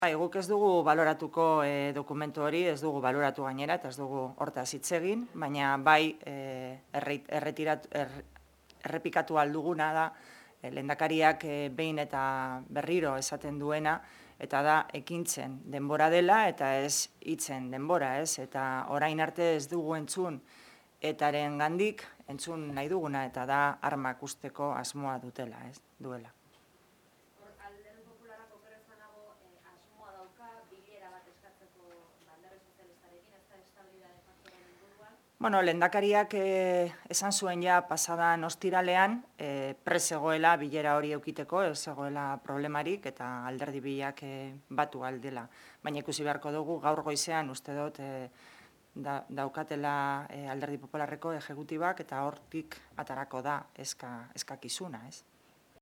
Guk ez dugu baloratuko dokumentu hori, ez dugu baloratu gainera, eta ez dugu hortaz hitz egin, baina bai errepikatu alduguna da, lehendakariak behin eta berriro esaten duena, eta da ekintzen denbora dela eta ez hitzen denbora, ez? Eta orain arte ez dugu entzun etaren gandik, entzun nahi duguna, eta da armak usteko asmoa dutela, ez? Duela. Alderdi Popularrak okerrezan nago asmoa dauka, bilera bat eskatzeko alderdi sozialistarekin, ez da estabilitate faktoren inguruan. Bueno, lehendakariak esan zuen ja pasadan ostiralean, zegoela bilera hori eukiteko, ez zegoela problemarik eta alderdi biak batu aldela. Baina ikusi beharko dugu gaur goizean uste dut daukatela alderdi popularreko ejekutibak eta hortik atarako da eskakizuna, ez?